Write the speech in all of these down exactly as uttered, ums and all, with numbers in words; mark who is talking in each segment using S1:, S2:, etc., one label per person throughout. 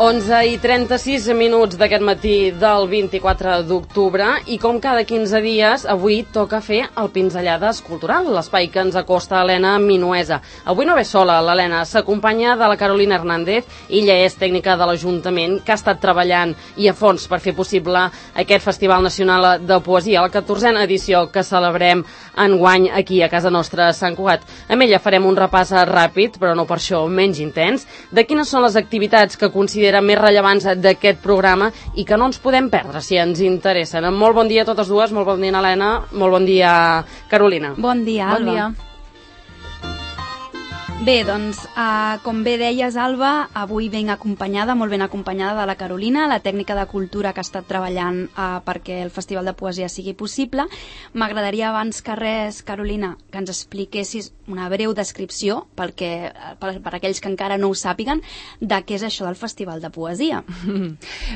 S1: onze i trenta-sis minuts d'aquest matí del vint-i-quatre d'octubre i com cada quinze dies, avui toca fer el Pinzellades Cultural, l'espai que ens acosta a l'Helena Minuesa. Avui no ve sola l'Helena, s'acompanya de la Carolina Hernández, ella és tècnica de l'Ajuntament que ha estat treballant i a fons per fer possible aquest Festival Nacional de Poesia, la catorzena edició que celebrem enguany aquí a casa nostra a Sant Cugat. Amb ella farem un repàs ràpid, però no per això menys intens, de quines són les activitats que considerem més rellevants d'aquest programa i que no ens podem perdre si ens interessen. Molt bon dia a totes dues, molt bon dia Helena, molt bon dia Carolina.
S2: Bon dia, Alba.
S3: Bon dia.
S2: Bé, doncs, uh, com bé deies, Alba, avui ben acompanyada, molt ben acompanyada de la Carolina, la tècnica de cultura que ha estat treballant uh, perquè el Festival de Poesia sigui possible. M'agradaria abans que res, Carolina, que ens expliquessis una breu descripció, pel que, per, per aquells que encara no ho sàpiguen, de què és això del Festival de Poesia.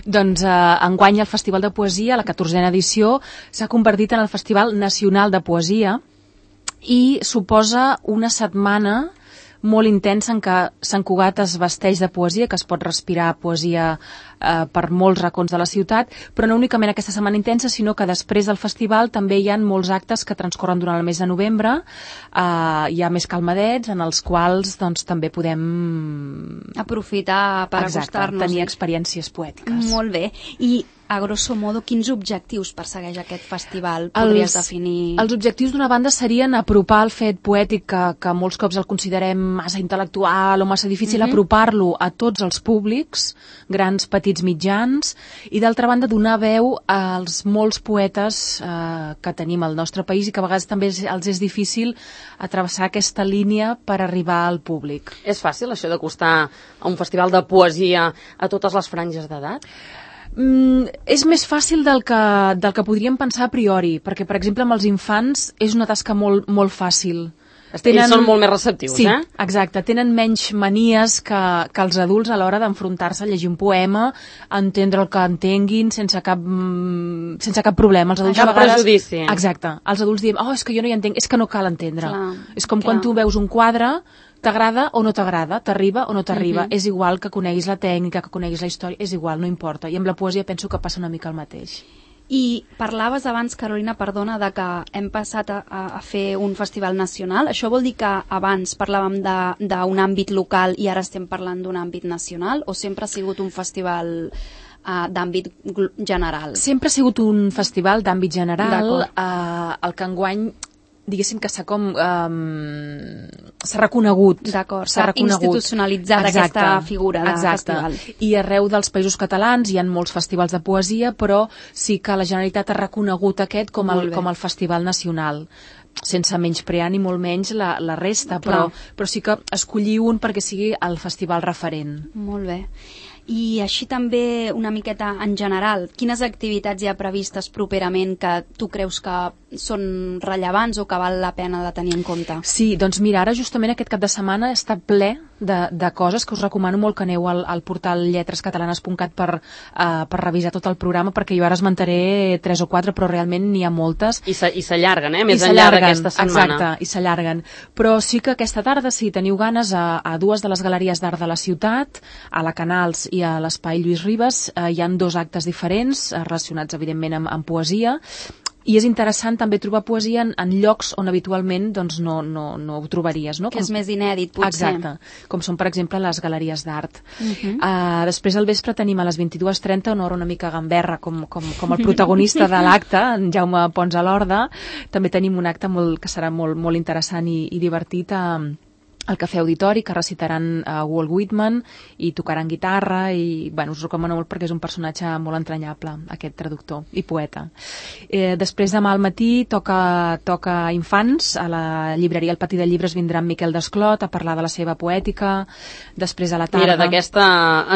S3: Doncs uh, enguany el Festival de Poesia, la catorzena edició, s'ha convertit en el Festival Nacional de Poesia i suposa una setmana molt intensa en què Sant Cugat es vesteix de poesia, que es pot respirar poesia eh, per molts racons de la ciutat, però no únicament aquesta setmana intensa, sinó que després del festival també hi ha molts actes que transcorren durant el mes de novembre, eh, hi ha més calmadets en els quals doncs, també podem
S2: aprofitar per acostar-nos.
S3: Tenir experiències poètiques.
S2: Molt bé. I a grosso modo, quins objectius persegueix aquest festival? Podries els, definir?
S3: Els objectius d'una banda serien apropar el fet poètic, que, que molts cops el considerem massa intel·lectual o massa difícil, mm-hmm. apropar-lo a tots els públics, grans, petits, mitjans, i d'altra banda donar veu als molts poetes eh, que tenim al nostre país i que a vegades també els és difícil atravessar aquesta línia per arribar al públic.
S1: És fàcil això d'acostar a un festival de poesia a totes les franges d'edat?
S3: Mm, és més fàcil del que, del que podríem pensar a priori, perquè, per exemple, amb els infants és una tasca molt, molt fàcil.
S1: Tenen... Ells són molt més receptius,
S3: sí,
S1: eh?
S3: Sí, exacte. Tenen menys manies que, que els adults a l'hora d'enfrontar-se a llegir un poema, entendre el que entenguin sense cap, sense cap problema. Els adults
S1: cap
S3: a vegades...
S1: prejudici.
S3: Exacte. Els adults diem, oh, és que jo no hi entenc, és que no cal entendre.
S2: Clar,
S3: és com
S2: clar.
S3: quan tu veus un quadre, t'agrada o no t'agrada, t'arriba o no t'arriba. Mm-hmm. És igual que coneguis la tècnica, que coneguis la història, és igual, no importa. I amb la poesia penso que passa una mica el mateix.
S2: I parlaves abans, Carolina, perdona, de que hem passat a, a fer un festival nacional. Això vol dir que abans parlàvem d'un àmbit local i ara estem parlant d'un àmbit nacional, o sempre ha sigut un festival uh, d'àmbit general?
S3: Sempre ha sigut un festival d'àmbit general, uh, el que enguany diguéssim que s'ha com um, s'ha reconegut.
S2: D'acord, s'ha institucionalitzat aquesta figura de
S3: exacte. Festival. I arreu dels països catalans hi ha molts festivals de poesia, però sí que la Generalitat ha reconegut aquest com el, com el festival nacional, sense menysprear ni molt menys la, la resta, però, però sí que escollir un perquè sigui el festival referent.
S2: Molt bé. I així també una miqueta en general, quines activitats hi ha previstes properament que tu creus que són rellevants o que val la pena de tenir en compte?
S3: Sí, doncs mira, ara justament aquest cap de setmana està ple de, de coses que us recomano molt que aneu al, al portal lletres catalanes punt cat per, uh, per revisar tot el programa, perquè jo ara esmentaré tres o quatre, però realment n'hi ha moltes.
S1: I s'allarguen, eh? Més enllà d'aquesta setmana.
S3: Exacte, i s'allarguen. Però sí que aquesta tarda, si teniu ganes, a, a dues de les galeries d'art de la ciutat, a la Canals i a l'Espai Lluís Ribes, eh, hi ha dos actes diferents eh, relacionats evidentment amb, amb poesia, i és interessant també trobar poesia en, en llocs on habitualment doncs, no, no, no ho trobaries. No?
S2: Que com... és més inèdit, potser.
S3: Exacte, com són per exemple les galeries d'art.
S2: Uh-huh.
S3: uh, després al vespre tenim a les vint-i-dues trenta una hora una mica gamberra com, com, com el protagonista de l'acte, en Jaume Pons a l'Horda. També tenim un acte molt, que serà molt, molt interessant i, i divertit a al Cafè Auditori, que recitaran uh, Walt Whitman i tocaran guitarra i, bueno, us recomano molt perquè és un personatge molt entranyable, aquest traductor i poeta. Eh, després demà al matí toca, toca infants, a la llibreria El Patí de Llibres vindrà en Miquel Desclot a parlar de la seva poètica. Després a la tarda...
S1: Mira, d'aquesta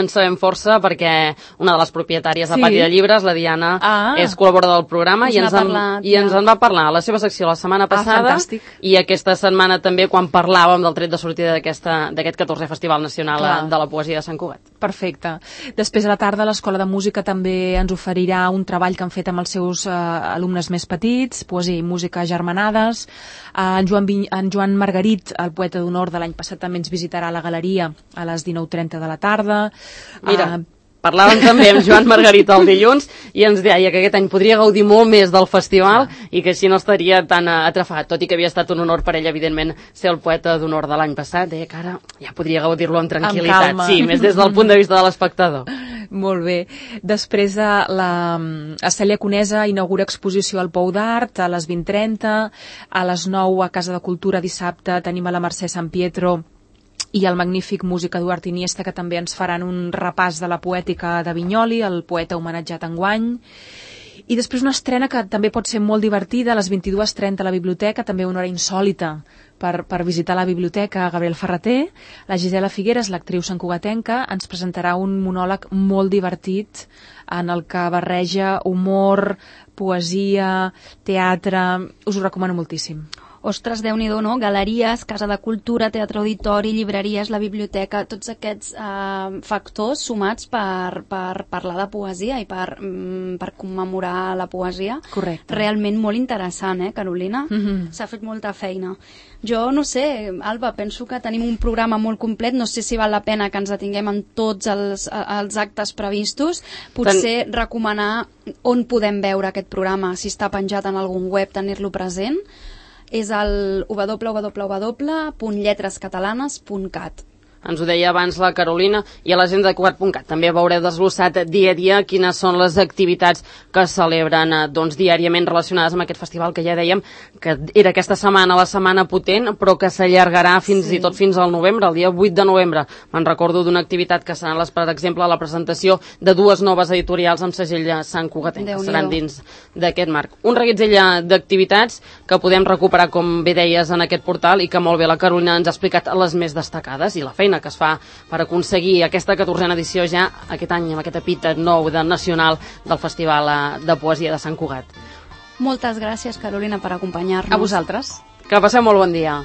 S1: en sabem força perquè una de les propietàries del sí. Patí de Llibres, la Diana, ah, és col·laboradora del programa i ens, en, parlat, i ens en va parlar a la seva secció la setmana passada
S3: ah,
S1: i aquesta setmana també quan parlàvem del tret de sortida d'aquest catorzè Festival Nacional Clar. de la Poesia de Sant Cugat.
S3: Perfecte. Després a la tarda l'Escola de Música també ens oferirà un treball que han fet amb els seus eh, alumnes més petits, poesia i música germanades. Eh, en, Joan Vin en Joan Margarit, el poeta d'honor de l'any passat, també ens visitarà a la galeria a les dinou trenta de la tarda.
S1: Mira,
S3: eh,
S1: Parlàvem també amb Joan Margarita el dilluns i ens deia que aquest any podria gaudir molt més del festival i que així no estaria tan atrafat, tot i que havia estat un honor per ell, evidentment, ser el poeta d'honor de l'any passat. Deia que ara ja podria gaudir-lo amb tranquil·litat.
S3: Amb calma.
S1: Sí, més des del punt de vista de l'espectador.
S3: Molt bé. Després de la Cèlia Conesa inaugura exposició al Pou d'Art a les vint trenta, a les nou a Casa de Cultura dissabte tenim a la Mercè Sant Pietro i el magnífic músic Eduard Iniesta, que també ens faran un repàs de la poètica de Vinyoli, el poeta homenatjat enguany. I després una estrena que també pot ser molt divertida, a les vint-i-dues trenta a la biblioteca, també una hora insòlita per, per visitar la biblioteca. Gabriel Ferreter, la Gisela Figueres, l'actriu santcugatenca, ens presentarà un monòleg molt divertit en el que barreja humor, poesia, teatre. Us ho recomano moltíssim.
S2: Ostres, Déu-n'hi-do, no? Galeries, Casa de Cultura, Teatre Auditori, llibreries, la biblioteca, tots aquests eh, factors sumats per, per parlar de poesia i per, mm, per commemorar la poesia.
S3: Correcte.
S2: Realment molt interessant, eh, Carolina?
S3: Mm-hmm.
S2: S'ha fet molta feina. Jo no sé, Alba, penso que tenim un programa molt complet, no sé si val la pena que ens detinguem en tots els, els actes previstos, potser Ten... recomanar on podem veure aquest programa, si està penjat en algun web, tenir-lo present. És el w w w punt lletres catalanes punt cat.
S1: Ens ho deia abans la Carolina, i a l'agenda de Cugat punt cat també veureu desglossat dia a dia quines són les activitats que es celebren doncs, diàriament relacionades amb aquest festival que ja dèiem que era aquesta setmana, la setmana potent, però que s'allargarà fins sí. i tot fins al novembre, el dia vuit de novembre. Me'n recordo d'una activitat que seran, les, per exemple, la presentació de dues noves editorials amb segell Sant Cugatenc, que seran dins d'aquest marc. Un reguitzell d'activitats que podem recuperar, com bé deies, en aquest portal i que molt bé la Carolina ens ha explicat les més destacades i la feina que es fa per aconseguir aquesta catorzena edició ja aquest any, amb aquest epítet nou de nacional del Festival de Poesia de Sant Cugat.
S2: Moltes gràcies, Carolina, per acompanyar-nos.
S3: A vosaltres.
S1: Que passeu molt bon dia.